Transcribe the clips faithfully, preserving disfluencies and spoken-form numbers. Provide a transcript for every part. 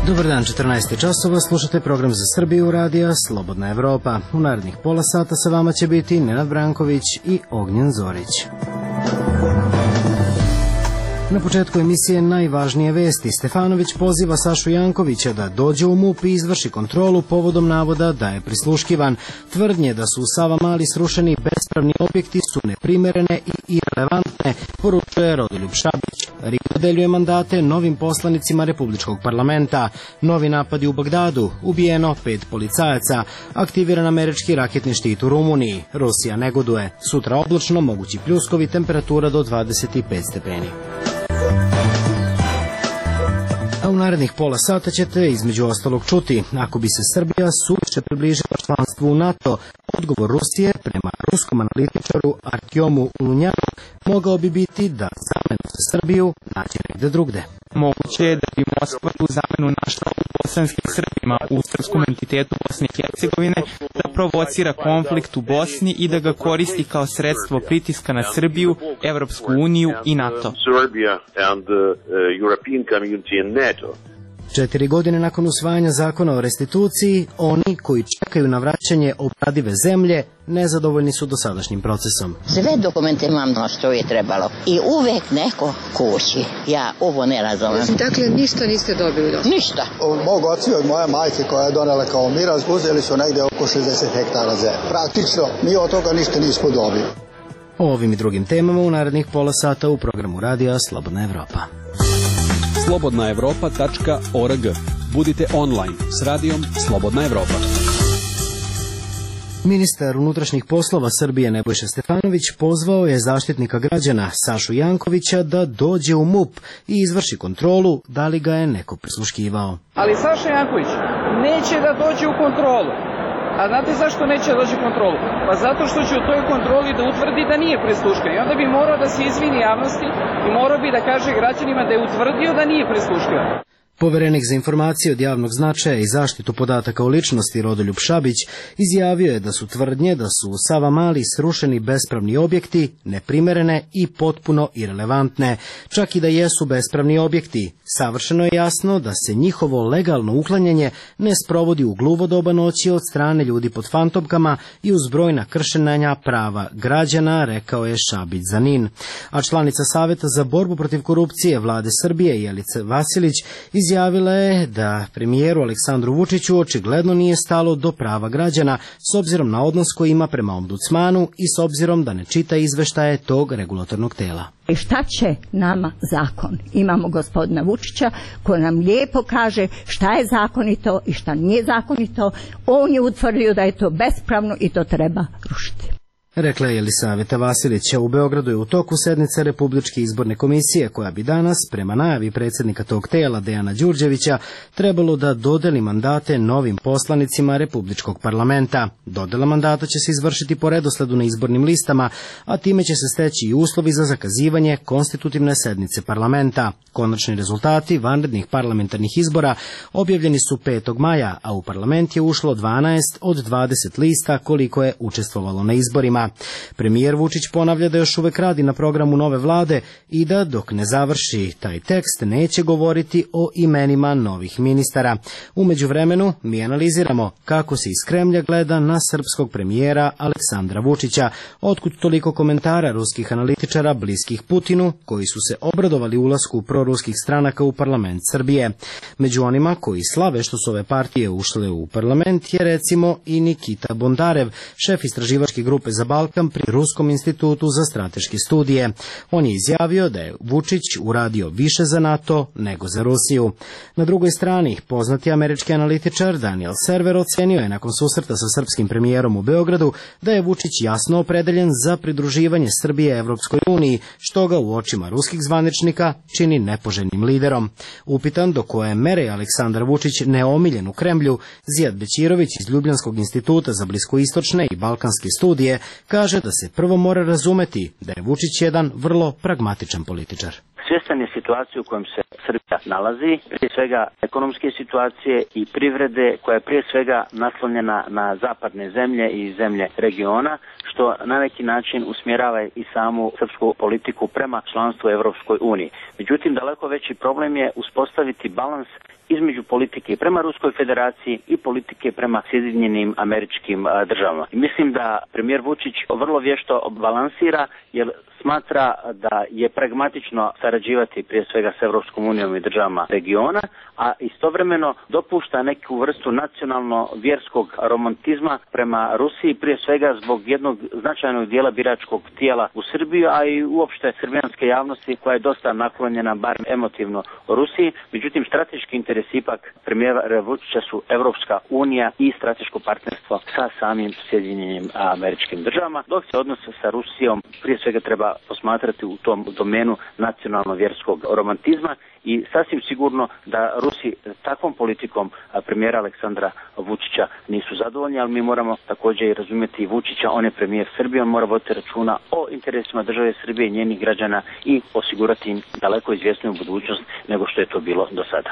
Dobar dan, četrnaest časova, slušate program za Srbiju radija Slobodna Evropa. U narednih pola sata sa vama će biti Nenad Branković i Ognjen Zorić. Na početku emisije najvažnije vesti. Stefanović poziva Sašu Jankovića da dođe u MUP i izvrši kontrolu povodom navoda da je prisluškivan. Tvrdnje da su u Savamali srušeni bespravni objekti su neprimerene i irelevantne, poručuje Rodoljub Šabić. RIK dodeljuje mandate novim poslanicima Republičkog parlamenta. Novi napadi u Bagdadu, ubijeno pet policajaca, aktiviran američki raketni štit u Rumuniji. Rusija negoduje. Sutra oblačno, mogući pljuskovi, temperatura do dvadeset pet stepeni. A u narednih pola sata ćete između ostalog čuti, ako bi se Srbija suviše približila članstvu u NATO, odgovor Rusije prema ruskom analitičaru Artjomu Lunjanu mogao bi biti da zamenu za Srbiju nađe negde drugde. Moguće je da bi Moskva tu zamenu našla u bosanskim Srbima, u srpskom entitetu Bosne i Hercegovine, da provocira konflikt u Bosni i da ga koristi kao sredstvo pritiska na Srbiju, Evropsku uniju i NATO. Četiri godine nakon usvajanja zakona o restituciji, oni koji čekaju na vraćanje obradive zemlje nezadovoljni su dosadašnjim procesom. Sve dokumente imam no što je trebalo i uvek neko kući. Ja ovo ne razumem. Dakle, ništa niste dobili do? Ništa. Od mog oca i od moje majke koja je donela kao miraz, uzeli su negde oko šezdeset hektara zemlje. Praktično, mi od toga ništa nismo dobili. O ovim i drugim temama u narednih pola sata u programu radija Slobodna Evropa. slobodna evropa tačka org. Budite online s radijom Slobodna Evropa. Ministar unutrašnjih poslova Srbije Nebojša Stefanović pozvao je zaštitnika građana Sašu Jankovića da dođe u MUP i izvrši kontrolu da li ga je neko prisluškivao. Ali Saša Janković neće da dođe u kontrolu. A znate zašto neće da dođe u kontrolu? Pa zato što će u toj kontroli da utvrdi da nije prisluškan. I onda bi morao da se izvini javnosti i morao bi da kaže građanima da je utvrdio da nije prisluškan. Poverenik za informacije od javnog značaja i zaštitu podataka o ličnosti Rodoljub Šabić izjavio je da su tvrdnje da su u Savamali srušeni bespravni objekti neprimerene i potpuno irelevantne. Čak i da jesu bespravni objekti, savršeno je jasno da se njihovo legalno uklanjanje ne sprovodi u gluvo doba noći od strane ljudi pod fantomkama i uz brojna kršenja prava građana, rekao je Šabić za Nin. A članica Saveta za borbu protiv korupcije Vlade Srbije Jelica Vasilić izjavila je da premijeru Aleksandru Vučiću očigledno nije stalo do prava građana s obzirom na odnos koji ima prema ombudsmanu i s obzirom da ne čita izveštaje tog regulatornog tela. I šta će nama zakon? Imamo gospodina Vučića koji nam lijepo kaže šta je zakonito i šta nije zakonito. On je utvrdio da je to bespravno i to treba rušiti. Rekla je Jelisaveta Vasilića. U Beogradu je u toku sednice Republičke izborne komisije koja bi danas, prema najavi predsjednika tog tela Dejana Đurđevića, trebalo da dodeli mandate novim poslanicima Republičkog parlamenta. Dodela mandata će se izvršiti po redosledu na izbornim listama, a time će se steći i uslovi za zakazivanje konstitutivne sednice parlamenta. Konačni rezultati vanrednih parlamentarnih izbora objavljeni su petog maja, a u parlament je ušlo dvanaest od dvadeset lista koliko je učestvovalo na izborima. Premijer Vučić ponavlja da još uvek radi na programu nove vlade i da dok ne završi taj tekst neće govoriti o imenima novih ministara. U međuvremenu mi analiziramo kako se iz Kremlja gleda na srpskog premijera Aleksandra Vučića, otkud toliko komentara ruskih analitičara bliskih Putinu koji su se obradovali ulasku proruskih stranaka u parlament Srbije. Među onima koji slave što su ove partije ušle u parlament je recimo i Nikita Bondarev, šef istraživačke grupe za Balkan pri Ruskom institutu za strateške studije. On je izjavio da je Vučić uradio više za NATO nego za Rusiju. Na drugoj strani, poznati američki analitičar Daniel Server ocenio je nakon susreta sa srpskim premijerom u Beogradu da je Vučić jasno opredeljen za pridruživanje Srbije Evropskoj uniji, što ga u očima ruskih zvaničnika čini nepoželjnim liderom. Upitan do koje mere je Aleksandar Vučić neomiljen u Kremlju, Zijad Bećirović iz Ljubljanskog instituta za bliskoistočne i balkanske studije kaže da se prvo mora razumeti da je Vučić jedan vrlo pragmatičan političar. Svjestan svjestan je situacije u kojem se Srbija nalazi, prije svega ekonomske situacije i privrede koja je prije svega naslonjena na zapadne zemlje i zemlje regiona, što na neki način usmjerava i samu srpsku politiku prema članstvu Evropskoj uniji. Međutim, daleko veći problem je uspostaviti balans između politike prema Ruskoj federaciji i politike prema Sjedinjenim Američkim državama. I mislim da premijer Vučić vrlo vješto balansira, jer smatra da je pragmatično sarađivati prije svega s Evropskom unijom i državama regiona, a istovremeno dopušta neku vrstu nacionalno-vjerskog romantizma prema Rusiji, prije svega zbog jednog značajnog dijela biračkog tijela u Srbiji, a i uopšte srbijanske javnosti koja je dosta naklonjena, bar emotivno, Rusiji. Međutim, strateški interes ipak premijera Vučića su Evropska unija i strateško partnerstvo sa samim Sjedinjenim Američkim državama, dok se odnos sa Rusijom prije svega treba posmatrati u tom domenu nacionalno-vjerskog romantizma i sasvim sigurno da Rusi takvom politikom premijera Aleksandra Vučića nisu zadovoljni, ali mi moramo također i razumjeti i Vučića, on je premijer Srbije, on mora voditi računa o interesima države Srbije i njenih građana i osigurati im daleko izvjesniju budućnost nego što je to bilo do sada.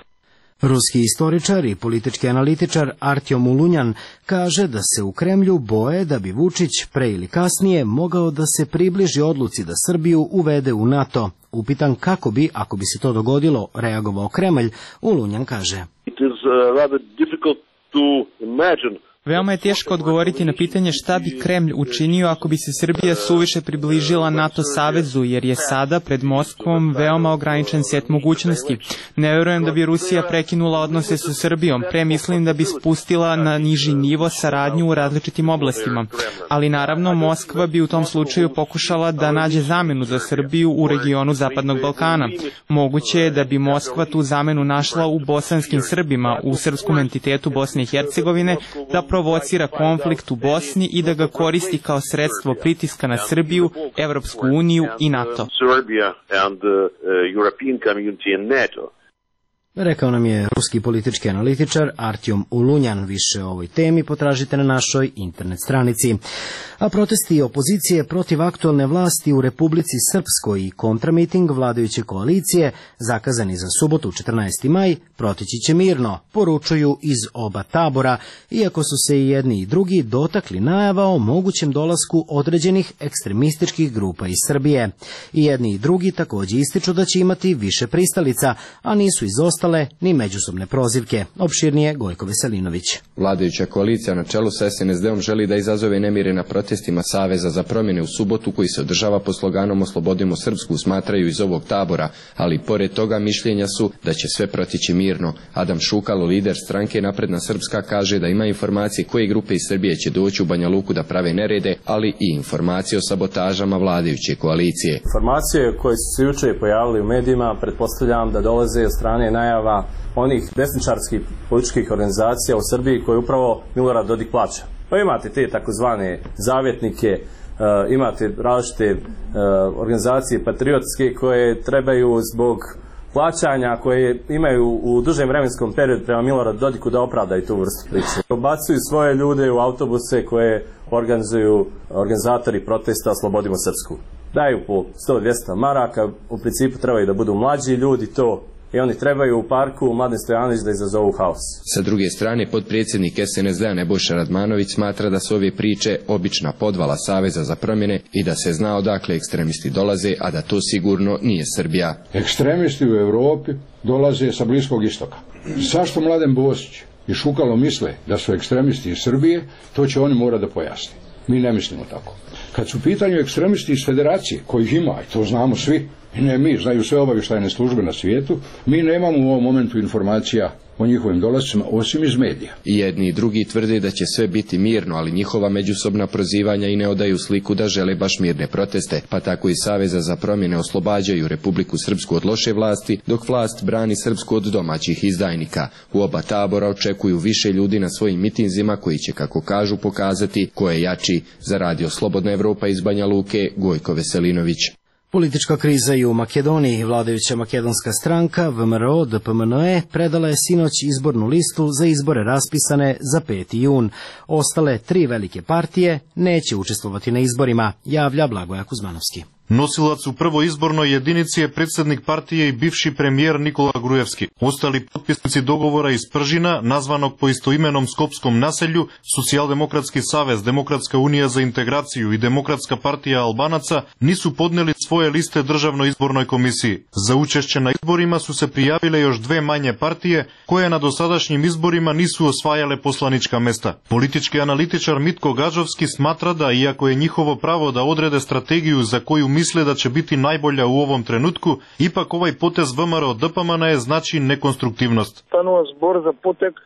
Ruski istoričar i politički analitičar Artjom Ulunjan kaže da se u Kremlju boje da bi Vučić pre ili kasnije mogao da se približi odluci da Srbiju uvede u NATO. Upitan kako bi, ako bi se to dogodilo, reagovao Kremlj, Ulunjan kaže: It is uh, rather difficult to imagine. Veoma je teško odgovoriti na pitanje šta bi Kremlj učinio ako bi se Srbija suviše približila NATO savezu, jer je sada pred Moskvom veoma ograničen set mogućnosti. Ne verujem da bi Rusija prekinula odnose sa Srbijom, pre mislim da bi spustila na niži nivo saradnju u različitim oblastima. Ali naravno Moskva bi u tom slučaju pokušala da nađe zamenu za Srbiju u regionu Zapadnog Balkana. Moguće je da bi Moskva tu zamenu našla u bosanskim Srbima, u srpskom entitetu Bosne i Hercegovine, da provocira konflikt u Bosni i da ga koristi kao sredstvo pritiska na Srbiju, Evropsku uniju i NATO. Rekao nam je ruski politički analitičar Artjom Ulunjan. Više o ovoj temi potražite na našoj internet stranici. A protesti opozicije protiv aktualne vlasti u Republici Srpskoj i kontramiting vladajuće koalicije, zakazani za subotu četrnaesti maj, proteći će mirno, poručuju iz oba tabora, iako su se i jedni i drugi dotakli najava o mogućem dolasku određenih ekstremističkih grupa iz Srbije. I jedni i drugi također ističu da će imati više pristalica, a nisu izostale ni međusobne prozivke. Opširnije Gojko Veselinović. Vladajuća koalicija na čelu sa S N S D-om želi da izazove nemire na protestima Saveza za promjene u subotu, koji se održava pod sloganom Oslobodimo Srpsku, smatraju iz ovog tabora, ali pored toga mišljenja su da će sve protići mirno. Adam Šukalo, lider stranke Napredna Srpska, kaže da ima informacije koje grupe iz Srbije će doći u Banja Luku da prave nerede, ali i informacije o sabotažama vladajuće koalicije. Informacije koje su se juče pojavili u medijima, pretpostavljam da dolaze od strane najava onih desničarskih političkih organizacija u Srbiji koje upravo Milorad Dodik plaća. Pa imate te takozvane zavjetnike, uh, imate različite uh, organizacije patriotske koje trebaju zbog plaćanja koje imaju u dužem vremenskom periodu prema Miloradu Dodiku da opravdaju tu vrstu priče. Obacuju svoje ljude u autobuse koje organizuju organizatori protesta Slobodimo Srpsku. Daju po sto do dvjesto maraka, u principu trebaju da budu mlađi ljudi to, i oni trebaju u parku Mladen Stojanović da izazovu haos. Sa druge strane, potpredsjednik S N S D-a Nebojša Radmanović smatra da su ove priče obična podvala Saveza za promjene i da se zna odakle ekstremisti dolaze, a da to sigurno nije Srbija. Ekstremisti u Europi dolaze sa Bliskog istoka. Zašto Mladen Bosić i Šukalo misle da su ekstremisti iz Srbije, to će oni morati da pojasni. Mi ne mislimo tako. Kad su u pitanju ekstremisti iz Federacije, kojih ima, i to znamo svi, i ne mi, znaju sve obavještajne službe na svijetu, mi nemamo u ovom momentu informacija o njihovim dolascima, osim iz medija. I jedni i drugi tvrde da će sve biti mirno, ali njihova međusobna prozivanja i ne odaju sliku da žele baš mirne proteste, pa tako i Saveza za promjene oslobađaju Republiku Srpsku od loše vlasti, dok vlast brani Srpsku od domaćih izdajnika. U oba tabora očekuju više ljudi na svojim mitinzima koji će, kako kažu, pokazati ko je jači. Za radio Slobodna Evropa iz Banja Luke, Gojko Veselinović. Politička kriza i u Makedoniji. Vladajuća makedonska stranka V M R O D P M N E predala je sinoć izbornu listu za izbore raspisane za peti jun. Ostale tri velike partije neće učestvovati na izborima, javlja Blagoja Kuzmanovski. Nosilac u prvoj izbornoj jedinici je predsjednik partije i bivši premijer Nikola Grujevski. Ostali potpisnici dogovora iz Pržina, nazvanog po istoimenom skopskom naselju, Socijaldemokratski savez, Demokratska unija za integraciju i Demokratska partija Albanaca, nisu podneli svoje liste Državnoj izbornoj komisiji. Za učešće na izborima su se prijavile još dve manje partije, koje na dosadašnjim izborima nisu osvajale poslanička mesta. Politički analitičar Mitko Gađovski smatra da, iako je njihovo pravo da odrede strategiju za koju misle da će biti najbolja u ovom trenutku, ipak ovaj potez V M R O D P M N je znači nekonstruktivnost.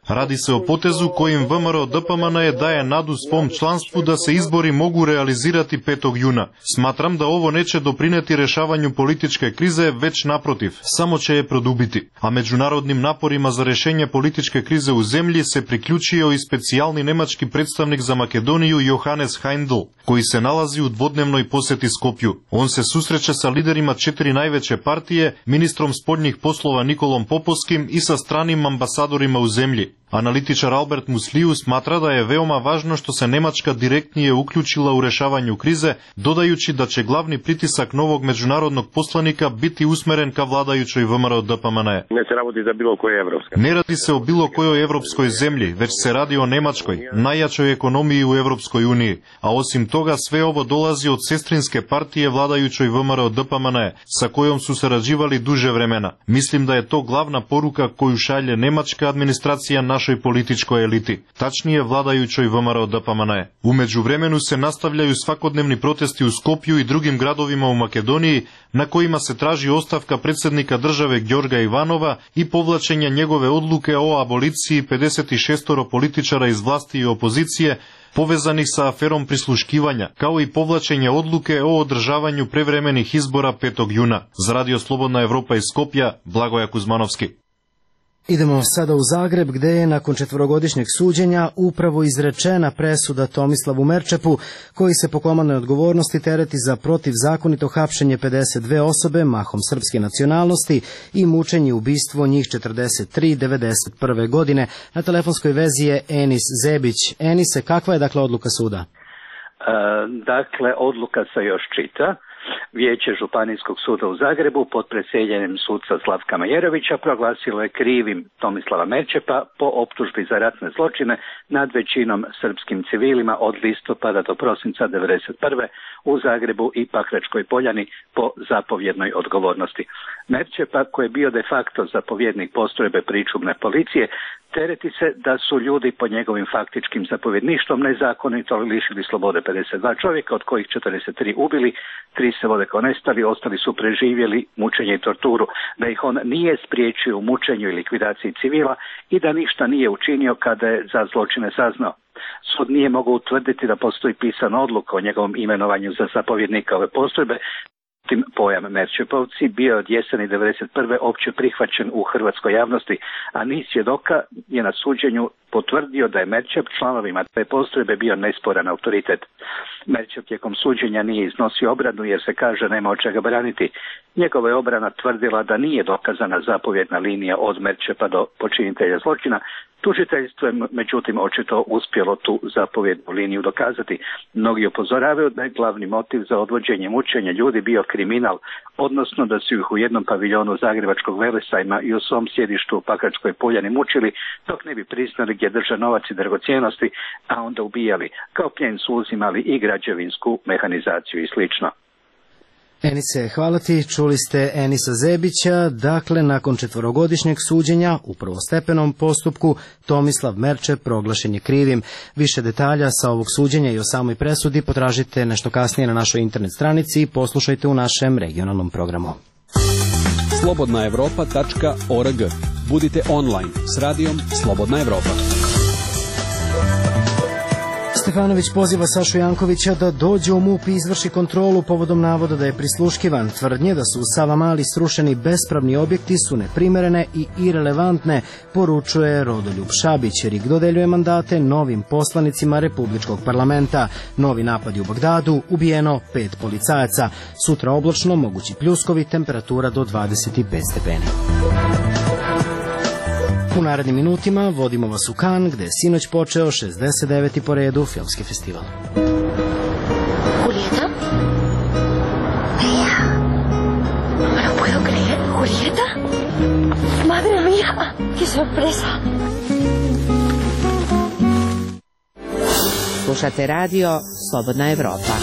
Radi se o potezu kojim V M R O D P M N je daje nadu svom članstvu da se izbori mogu realizirati petog juna. Smatram da ovo neće doprineti rešavanju političke krize, već naprotiv, samo će je produbiti. A međunarodnim naporima za rešenje političke krize u zemlji se priključio i specijalni nemački predstavnik za Makedoniju Johannes Heindl, koji se nalazi u dvodnevnoj posjeti Skopju. On se susreće sa liderima četiri najveće partije, ministrom spoljnih poslova Nikolom Popovskim i sa stranim ambasadorima u zemlji. Analitičar Albert Musliju smatra da je veoma važno što se Nemačka direktnije uključila u rešavanju krize, dodajući da će glavni pritisak novog međunarodnog poslanika biti usmeren ka vladajućoj V M R O D P M N. Ne se radi za bilo koje evropske. Ne radi se o bilo kojoj evropskoj zemlji, već se radi o Nemačkoj, najjačoj ekonomiji u Evropskoj uniji. A osim toga sve ovo dolazi od sestrinske partije vladajućoj V M R O D P M N, sa kojom su sarađivali duže vremena. Mislim da je to glavna poruka koju šalje nemačka administracija našoj političkoj eliti, tačnije vladajućoj V M R O D P M N. U međuvremenu se nastavljaju svakodnevni protesti u Skopju i drugim gradovima u Makedoniji, na kojima se traži ostavka predsjednika države Gjorga Ivanova i povlačenja njegove odluke o aboliciji pedeset šest političara iz vlasti i opozicije povezanih sa aferom prisluškivanja, kao i povlačenje odluke o održavanju prevremenih izbora petog juna. Za Radio Slobodna Evropa iz Skopja, Blagoja Kuzmanovski. Idemo sada u Zagreb, gde je nakon četvorogodišnjeg suđenja upravo izrečena presuda Tomislavu Merčepu, koji se po komandnoj odgovornosti tereti za protivzakonito hapšenje pedeset dve osobe, mahom srpske nacionalnosti, i mučenje i ubistvo njih četrdeset tri devedeset prve godine. Na telefonskoj vezi je Enis Zebić. Enise, kakva je dakle odluka suda? E, dakle, odluka se još čita. Vijeće Županijskog suda u Zagrebu pod predsjedanjem suca Slavka Majerovića proglasilo je krivim Tomislava Merčepa po optužbi za ratne zločine nad većinom srpskim civilima od listopada do prosinca devedeset prve u Zagrebu i Pakračkoj Poljani po zapovjednoj odgovornosti. Merčepa, koji je bio de facto zapovjednik postrojbe pričuvne policije, tereti se da su ljudi pod njegovim faktičkim zapovjedništvom nezakonito lišili slobode pedeset dva čovjeka, od kojih četrdeset tri ubili, tri se vode kao nestali, ostali su preživjeli mučenje i torturu, da ih on nije spriječio u mučenju i likvidaciji civila i da ništa nije učinio kada je za zločine saznao. Sud nije mogao utvrditi da postoji pisana odluka o njegovom imenovanju za zapovjednika ove postrojbe. Tim pojam Merčepovci bio je od jeseni devedeset prve opće prihvaćen u hrvatskoj javnosti, a niz svjedoka je na suđenju potvrdio da je Merčep članovima te postrojbe bio nesporan autoritet. Merčep tijekom suđenja nije iznosio obranu jer se kaže nema od čega braniti. Njegova je obrana tvrdila da nije dokazana zapovjedna linija od Merčepa do počinitelja zločina. Tužiteljstvo je međutim očito uspjelo tu zapovjednu liniju dokazati. Mnogi upozoravaju da je glavni motiv za odvođenje mučenja ljudi bio kriminal, odnosno da su ih u jednom paviljonu Zagrebačkog Velesajma i u svom sjedištu u Pakračkoj Poljani mučili dok ne bi priznali gdje drže novac i dragocjenosti, a onda ubijali. Kao plijen su uzimali i građevinsku mehanizaciju i slično. Enise, hvala ti. Čuli ste Enisa Zebića. Dakle, nakon četvorogodišnjeg suđenja u prvostepenom postupku Tomislav Merčep proglašen je krivim. Više detalja sa ovog suđenja i o samoj presudi potražite nešto kasnije na našoj internet stranici i poslušajte u našem regionalnom programu. slobodna evropa tačka org. Budite online s radijom Slobodna Evropa. Stefanović poziva Sašu Jankovića da dođe u MUP i izvrši kontrolu povodom navoda da je prisluškivan. Tvrdnje da su u Savamali srušeni bespravni objekti su neprimerene i irelevantne, poručuje Rodoljub Šabić. Rik dodeljuje mandate novim poslanicima Republičkog parlamenta. Novi napadi u Bagdadu, ubijeno pet policajaca. Sutra oblačno, mogući pljuskovi, temperatura do dvadeset pet stepeni. U narednim minutima vodimo vas u Kan, gde je sinoć počeo šezdeset deveti po redu filmski festival. Julieta? sorpresa. Slušate radio Slobodna Evropa.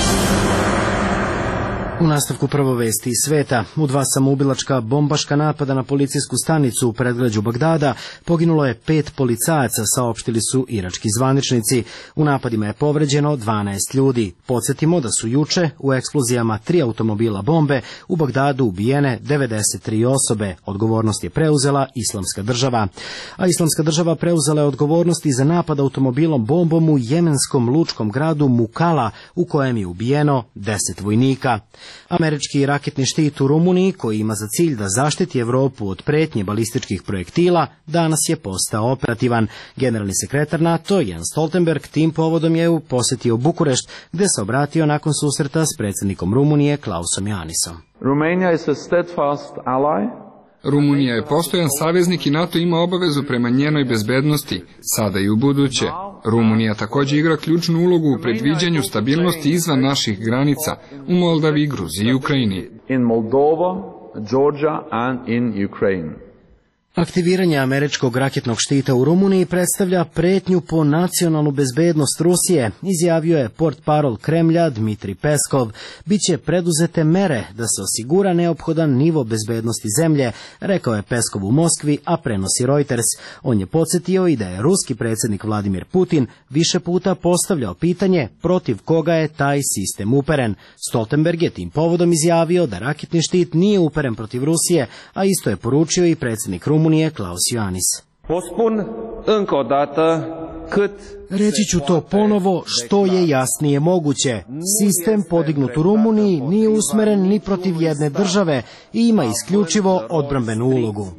U nastavku prvo vesti iz sveta. U dva samoubilačka bombaška napada na policijsku stanicu u predgrađu Bagdada poginulo je pet policajaca, saopštili su irački zvaničnici. U napadima je povređeno dvanaest ljudi. Podsjetimo da su juče u eksplozijama tri automobila bombe u Bagdadu ubijene devedeset tri osobe. Odgovornost je preuzela Islamska država. A Islamska država preuzela je odgovornost i za napad automobilom bombom u jemenskom lučkom gradu Mukalla, u kojem je ubijeno deset vojnika. Američki raketni štit u Rumuniji, koji ima za cilj da zaštiti Evropu od pretnje balističkih projektila, danas je postao operativan. Generalni sekretar NATO Jens Stoltenberg tim povodom je posjetio Bukurešt, gde se obratio nakon susreta s predsjednikom Rumunije Klausom Iohannisom. Romania is a steadfast ally. Rumunija je postojan saveznik i NATO ima obavezu prema njenoj bezbednosti, sada i u buduće. Rumunija također igra ključnu ulogu u predviđanju stabilnosti izvan naših granica, u Moldavi, Gruziji i Ukrajini. In Moldova, Georgia and in Ukraine. Aktiviranje američkog raketnog štita u Rumuniji predstavlja pretnju po nacionalnu bezbednost Rusije, izjavio je portparol Kremlja Dmitri Peskov. Biće preduzete mere da se osigura neophodan nivo bezbednosti zemlje, rekao je Peskov u Moskvi, a prenosi Reuters. On je podsjetio i da je ruski predsjednik Vladimir Putin više puta postavljao pitanje protiv koga je taj sistem uperen. Stoltenberg je tim povodom izjavio da raketni štit nije uperen protiv Rusije, a isto je poručio i predsjednik Rumunije Rumunije Klaus Iohannis. Reći ću to ponovo što je jasnije moguće. Sistem podignut u Rumuniji nije usmeren ni protiv jedne države i ima isključivo odbrambenu ulogu.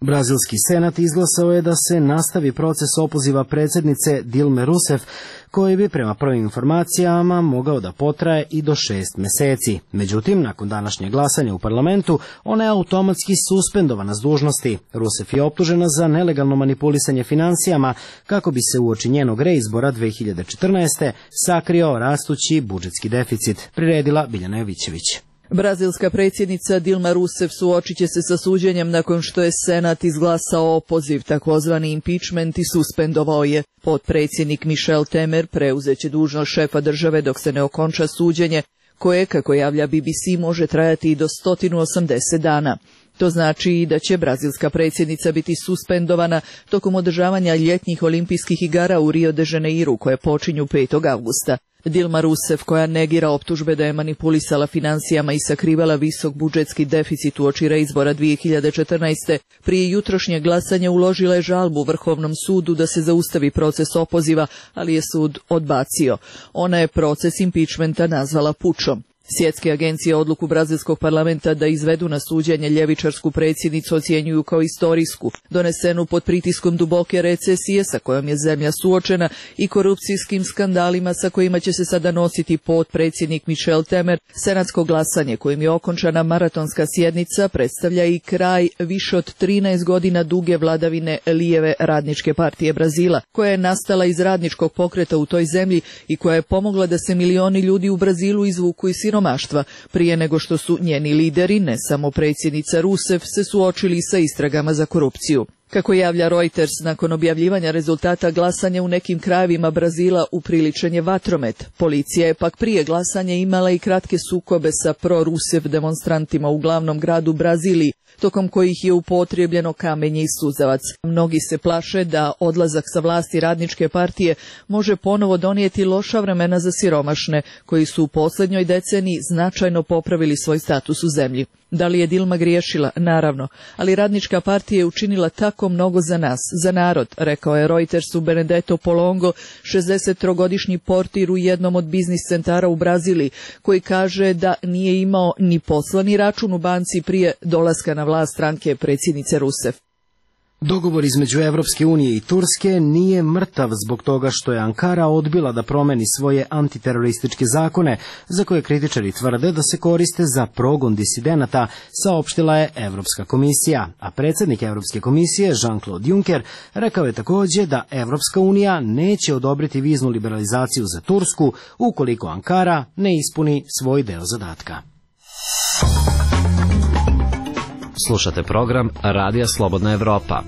Brazilski senat izglasao je da se nastavi proces opoziva predsjednice Dilme Rousseff, koji bi prema prvim informacijama mogao da potraje i do šest meseci. Međutim, nakon današnjeg glasanja u parlamentu, ona je automatski suspendovana s dužnosti. Rousseff je optužena za nelegalno manipulisanje financijama kako bi se uoči njenog reizbora dve hiljade četrnaeste. sakrio rastući budžetski deficit, priredila Biljana Jovićević. Brazilska predsjednica Dilma Rousseff suočit će se sa suđenjem nakon što je Senat izglasao opoziv, takozvani impeachment, i suspendovao je. Potpredsjednik Michel Temer preuzeće dužnost šefa države dok se ne okonča suđenje, koje, kako javlja B B C, može trajati i do sto osamdeset dana. To znači da će brazilska predsjednica biti suspendovana tokom održavanja ljetnjih olimpijskih igara u Rio de Janeiru, koje počinju petog avgusta. Dilma Rousseff, koja negira optužbe da je manipulisala financijama i sakrivala visok budžetski deficit uoči reizbora dve hiljade četrnaeste. prije jutrošnjeg glasanja uložila je žalbu Vrhovnom sudu da se zaustavi proces opoziva, ali je sud odbacio. Ona je proces impeachmenta nazvala pučom. Svjetske agencije odluku brazilskog parlamenta da izvedu na suđenje ljevičarsku predsjednicu ocjenjuju kao istorijsku, donesenu pod pritiskom duboke recesije sa kojom je zemlja suočena i korupcijskim skandalima sa kojima će se sada nositi potpredsjednik Michel Temer. Senatsko glasanje kojim je okončana maratonska sjednica predstavlja i kraj više od trinaest godina duge vladavine lijeve radničke partije Brazila, koja je nastala iz radničkog pokreta u toj zemlji i koja je pomogla da se milioni ljudi u Brazilu izvuku iz siromaštva prije nego što su njeni lideri, ne samo predsjednica Rousseff, se suočili sa istragama za korupciju. Kako javlja Reuters, nakon objavljivanja rezultata glasanja u nekim krajevima Brazila upriličen je vatromet. Policija je pak prije glasanja imala i kratke sukobe sa pro-Rousseff demonstrantima u glavnom gradu Braziliji, tokom kojih je upotrijebljeno kamenje i suzavac. Mnogi se plaše da odlazak sa vlasti radničke partije može ponovo donijeti loša vremena za siromašne, koji su u posljednjoj deceniji značajno popravili svoj status u zemlji. Da li je Dilma griješila? Naravno, ali radnička partija je učinila tako mnogo za nas, za narod, rekao je Reutersu Benedetto Polongo, šezdesettrogodišnji portir u jednom od biznis centara u Braziliji, koji kaže da nije imao ni poslani račun u banci prije dolaska na vlast stranke predsjednice Rousseff. Dogovor između Evropske unije i Turske nije mrtav zbog toga što je Ankara odbila da promeni svoje antiterorističke zakone, za koje kritičari tvrde da se koriste za progon disidenata, saopštila je Evropska komisija. A predsjednik Evropske komisije Jean-Claude Juncker rekao je također da Evropska unija neće odobriti viznu liberalizaciju za Tursku ukoliko Ankara ne ispuni svoj deo zadatka. Slušate program Radija Slobodna Evropa.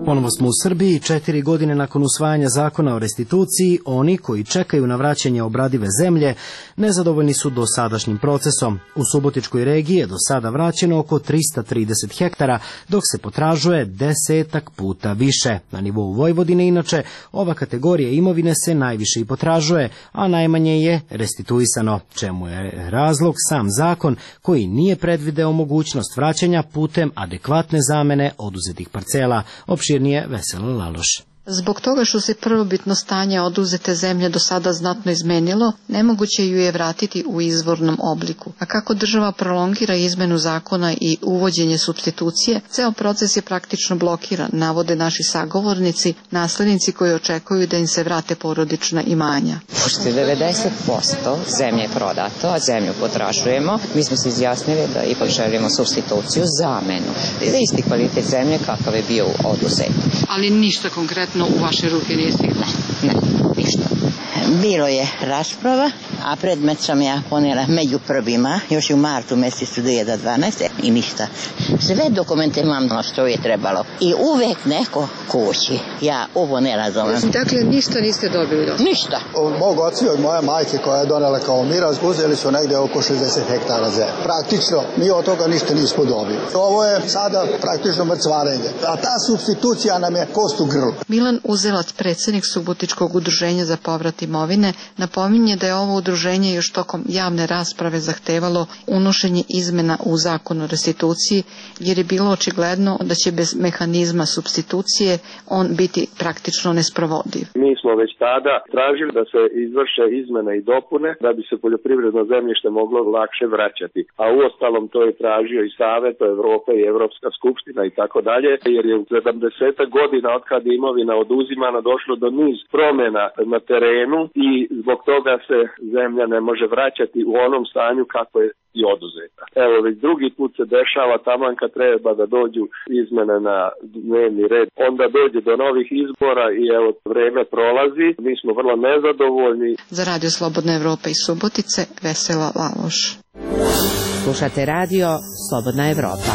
Ponovo smo u Srbiji. Četiri godine nakon usvajanja zakona o restituciji, oni koji čekaju na vraćanje obradive zemlje nezadovoljni su dosadašnjim procesom. U Subotičkoj regiji je do sada vraćeno oko trista trideset hektara, dok se potražuje desetak puta više. Na nivou Vojvodine, inače, ova kategorija imovine se najviše i potražuje, a najmanje je restituisano, čemu je razlog sam zakon koji nije predvideo mogućnost vraćanja putem adekvatne zamene oduzetih parcela. Opširnije Vesela Laloš. Zbog toga što se prvobitno stanje oduzete zemlje do sada znatno izmenilo, nemoguće ju je vratiti u izvornom obliku. A kako država prolongira izmenu zakona i uvođenje supstitucije, ceo proces je praktično blokiran, navode naši sagovornici, naslednici koji očekuju da im se vrate porodična imanja. Pošto je devedeset posto zemlje prodato, a zemlju potražujemo, mi smo se izjasnili da ipak želimo supstituciju, zamenu. Za isti kvalitet zemlje kakav je bio oduzet. Ali ništa konkretno u vaše ruke nije stiglo? Ne, ništa. Bilo je rasprava, a predmet sam ja ponela među prvima, još u martu mjesecu dvije hiljade dvanaeste. i ništa. Sve dokumente imam na što je trebalo. I uvek neko kući. Ja ovo ne razumem. Dakle, ništa niste dobili? Do? Ništa. Od mog oca i od moje majke koja je donela kao miraz, uzeli su negde oko šezdeset hektara zemlje. Praktično, mi od toga ništa nismo dobili. Ovo je sada praktično mrcvarenje. A ta supstitucija nam je kost u grlu. Milan Uzelac, predsjednik Subotičkog udruženja za povrat imovine, napominje da je ovo udruženje još tokom javne rasprave zahtevalo unošenje izmena u zakon o restituciji, jer je bilo očigledno da će bez mehanizma supstitucije on biti praktično nesprovodiv. Mi smo već tada tražili da se izvrše izmene i dopune da bi se poljoprivredno zemljište moglo lakše vraćati. A uostalom to je tražio i Savet Evrope i Evropska skupština i tako dalje, jer je u sedamdeset godina od kad je imovina oduzimana došlo do niz promjena na terenu i zbog toga se zemlja ne može vraćati u onom stanju kako je i oduzeta. Evo, već drugi put se dešava, taman kad treba da dođu izmene na dnevni red, onda dođe do novih izbora i evo, vreme prolazi, mi smo vrlo nezadovoljni. Za Radio Slobodna Evropa iz Subotice, Vesela Laloš. Slušate Radio Slobodna Evropa.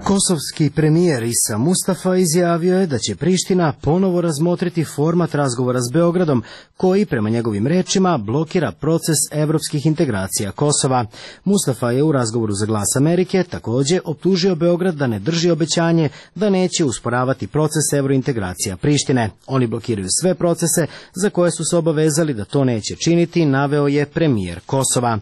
Kosovski premijer Isa Mustafa izjavio je da će Priština ponovo razmotriti format razgovora s Beogradom, koji, prema njegovim rečima, blokira proces evropskih integracija Kosova. Mustafa je u razgovoru za Glas Amerike također optužio Beograd da ne drži obećanje da neće usporavati proces evrointegracija Prištine. Oni blokiraju sve procese za koje su se obavezali da to neće činiti, naveo je premijer Kosova.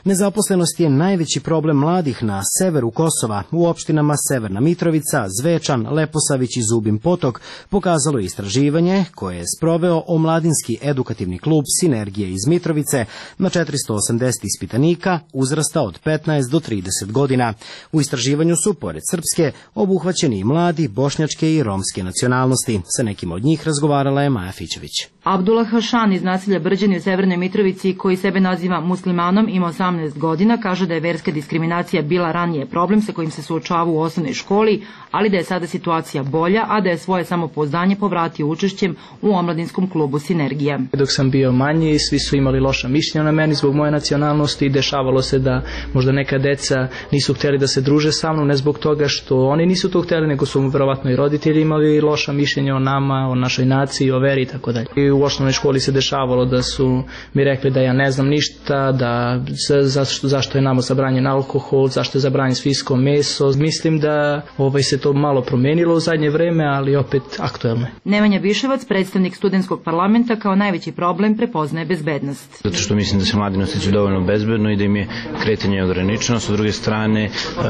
Nezaposlenost je najveći problem mladih na severu Kosova, u opštinama Severna Mitrovica, Zvečan, Leposavić i Zubin Potok, pokazalo je istraživanje koje je sproveo Omladinski edukativni klub Sinergije iz Mitrovice na četiristo osamdeset ispitanika uzrasta od petnaest do trideset godina. U istraživanju su, pored srpske, obuhvaćeni i mladi bošnjačke i romske nacionalnosti. Sa nekim od njih razgovarala je Maja Fićević. Abdullah Hašan iz naselja Brđani u Severnoj Mitrovici, koji sebe naziva muslimanom, ima osamnaest godina, kaže da je verska diskriminacija bila ranije problem sa kojim se suočava u osnovnoj školi, ali da je sada situacija bolja, a da je svoje samopouzdanje povratio učešćem u omladinskom klubu Sinergija. Dok sam bio manji, svi su imali loša mišljenja na meni zbog moje nacionalnosti i dešavalo se da možda neka deca nisu htjeli da se druže sa mnom, ne zbog toga što oni nisu to htjeli, nego su verovatno i roditelji imali loša mišljenja o nama, o našoj naciji, o veri i tako dalje. I u osnovnoj školi se dešavalo da su mi rekli da ja ne znam ništa, da zašto, zašto je nama zabranjen alkohol, zašto je zabranjen svinjsko meso. Mislim da ovaj se to malo promenilo u zadnje vreme, ali opet aktuelno. Nemanja Biševac, predstavnik studentskog parlamenta, kao najveći problem prepoznaje bezbednost. Zato što mislim da se mladi ne osjećaju dovoljno bezbedno i da im je kretanje ograničeno. S druge strane, uh,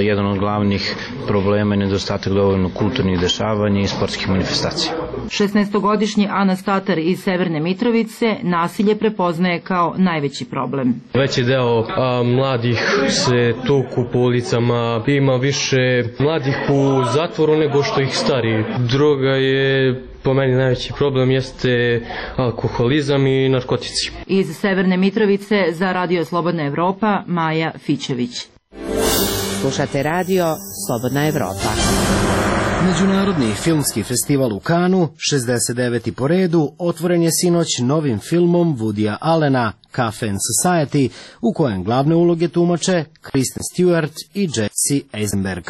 jedan od glavnih problema je nedostatak dovoljno kulturnih dešavanja i sportskih manifestacija. šesnaestogodišnji Anas Tatar iz Severne Mitrovice nasilje prepoznaje kao najveći problem. Veći deo a, mladih se tuku po ulicama, ima više mladih u zatvoru nego što ih stari. Droga je po meni najveći problem, jeste alkoholizam i narkotici. Iz Severne Mitrovice za Radio Slobodna Evropa, Maja Fićević. Slušate Radio Slobodna Evropa. Međunarodni filmski festival u Kanu, šezdeset deveti po redu, otvoren je sinoć novim filmom Woodya Allena Cafe and Society, u kojem glavne uloge tumače Kristen Stewart i Jesse Eisenberg.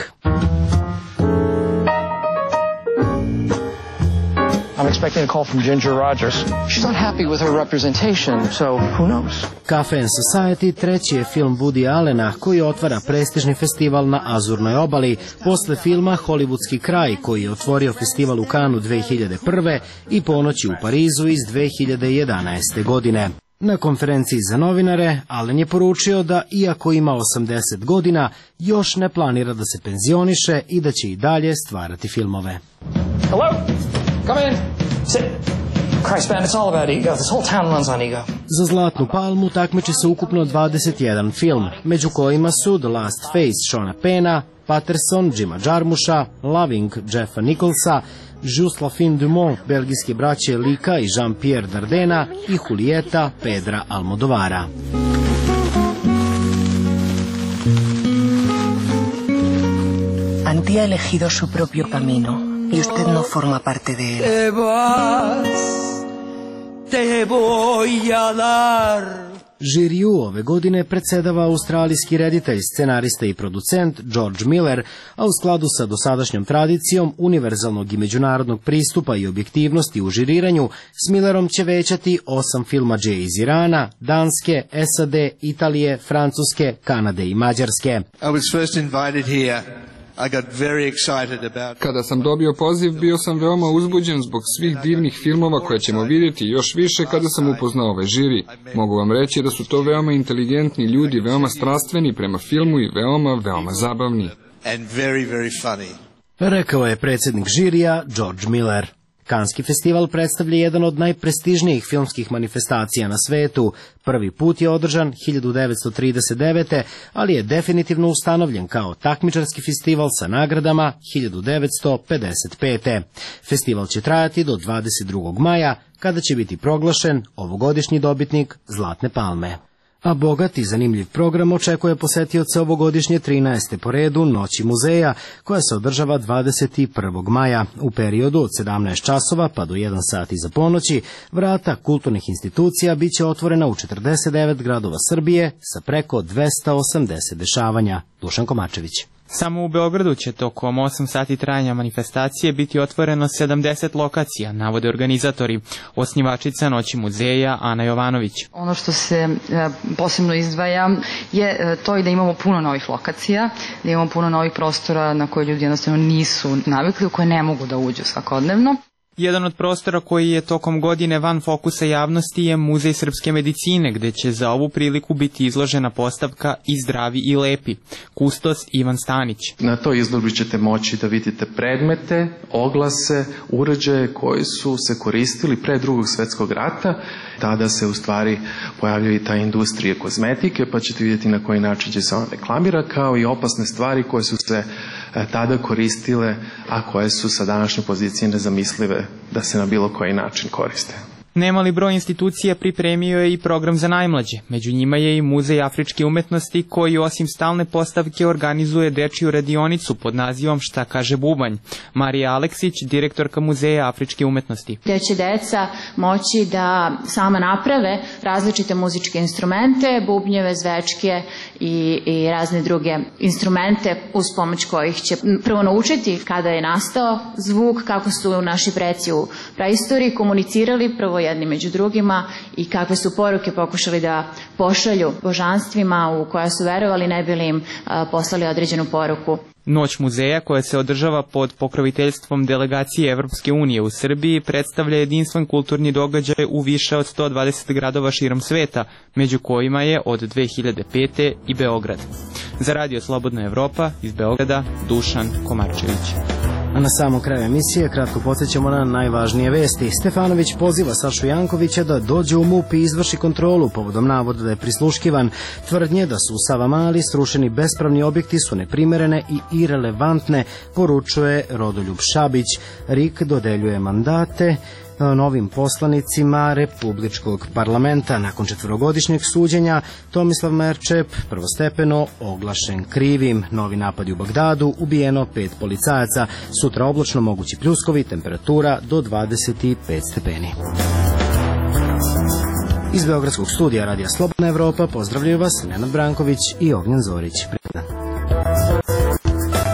I'm expecting a call from Ginger Rogers. She's not happy with her representation, so who knows? Cafe and Society treći je film Woody Allena koji otvara prestižni festival na Azurnoj obali posle filma Hollywoodski kraj koji je otvorio festival u Cannesu dve hiljade prve i Ponoći u Parizu iz dve hiljade jedanaeste. godine. Na konferenciji za novinare Allen je poručio da iako ima osamdeset godina, još ne planira da se penzioniše i da će i dalje stvarati filmove. Hello? Come in. Sit. Christ, man, it's all about ego. This whole town runs on ego. Za Zlatnu palmu takmiči se ukupno dvadeset jedan film, među kojima su The Last Face Seana Penna, Patterson Jima Jarmusha, Loving Jeffa Nicholsa, Just la fin du monde belgijske braće Lika i Jean-Pierre Dardena i Julieta Pedra Almodovara. Antía ha elegido su propio camino y usted no forma parte de él. Te vas, te voy a dar. Žiriju ove godine predsedava australijski reditelj, scenarista i producent George Miller, a u skladu sa dosadašnjom tradicijom univerzalnog i međunarodnog pristupa i objektivnosti u žiriranju, s Millerom će većati osam filmadže iz Irana, Danske, S A D, Italije, Francuske, Kanade i Mađarske. I was first invited here. Kada sam dobio poziv, bio sam veoma uzbuđen zbog svih divnih filmova koje ćemo vidjeti još više kada sam upoznao ovaj žiri. Mogu vam reći da su to veoma inteligentni ljudi, veoma strastveni prema filmu i veoma, veoma zabavni. Rekao je predsjednik žirija George Miller. Kanski festival predstavlja jedan od najprestižnijih filmskih manifestacija na svetu. Prvi put je održan hiljadu devetsto trideset devete. ali je definitivno ustanovljen kao takmičarski festival sa nagradama hiljadu devetsto pedeset pete. Festival će trajati do dvadeset drugog maja, kada će biti proglašen ovogodišnji dobitnik Zlatne palme. A bogat i zanimljiv program očekuje posetioce ovogodišnje trinaeste po redu Noći muzeja, koja se održava dvadeset prvog maja. U periodu od sedamnaest časova pa do jedan sat iza ponoći, vrata kulturnih institucija bit će otvorena u četrdeset devet gradova Srbije sa preko dvesta osamdeset dešavanja. Dušan Komačević. Samo u Beogradu će tokom osam sati trajanja manifestacije biti otvoreno sedamdeset lokacija, navode organizatori. Osnivačica Noći muzeja Ana Jovanović. Ono što se e, posebno izdvaja je e, to i da imamo puno novih lokacija, da imamo puno novih prostora na koje ljudi jednostavno nisu navikli, u koje ne mogu da uđu svakodnevno. Jedan od prostora koji je tokom godine van fokusa javnosti je Muzej srpske medicine, gde će za ovu priliku biti izložena postavka I zdravi i lepi. Kustos Ivan Stanić. Na toj izložbi ćete moći da vidite predmete, oglase, uređaje koji su se koristili pre drugog svetskog rata. Tada se u stvari pojavljaju i ta industrije kozmetike, pa ćete vidjeti na koji način će se ona reklamira, kao i opasne stvari koje su se tada koristile, a koje su sa današnje pozicije nezamislive da se na bilo koji način koriste. Nemali broj institucija pripremio je i program za najmlađe. Među njima je i Muzej afričke umetnosti koji osim stalne postavke organizuje dečiju radionicu pod nazivom Šta kaže bubanj. Marija Aleksić, direktorka Muzeja afričke umetnosti. Gde će deca moći da sama naprave različite muzičke instrumente, bubnjeve, zvečke i, i razne druge instrumente uz pomoć kojih će prvo naučiti kada je nastao zvuk, kako su naši preci u praistoriji komunicirali prvo jedni među drugima i kakve su poruke pokušali da pošalju božanstvima u koja su verovali, ne bili im poslali određenu poruku. Noć muzeja, koja se održava pod pokroviteljstvom delegacije Evropske unije u Srbiji, predstavlja jedinstven kulturni događaj u više od sto dvadeset gradova širom sveta, među kojima je od dve hiljade pete i Beograd. Za Radio Slobodna Evropa iz Beograda, Dušan Komarčević. A na samom kraju emisije kratko podsjećamo na najvažnije vesti. Stefanović poziva Sašu Jankovića da dođe u M U P i izvrši kontrolu povodom navoda da je prisluškivan. Tvrdnje da su u Savamali srušeni bespravni objekti su neprimerene i irelevantne, poručuje Rodoljub Šabić. R I K dodeljuje mandate novim poslanicima Republičkog parlamenta. Nakon četvorogodišnjeg suđenja Tomislav Merčep prvostepeno oglašen krivim. Novi napadi u Bagdadu, ubijeno pet policajaca. Sutra oblačno, mogući pljuskovi, temperatura do dvadeset pet stepeni. Iz Beogradskog studija Radija Slobodna Evropa pozdravljaju vas Nenad Branković i Ognjen Zorić.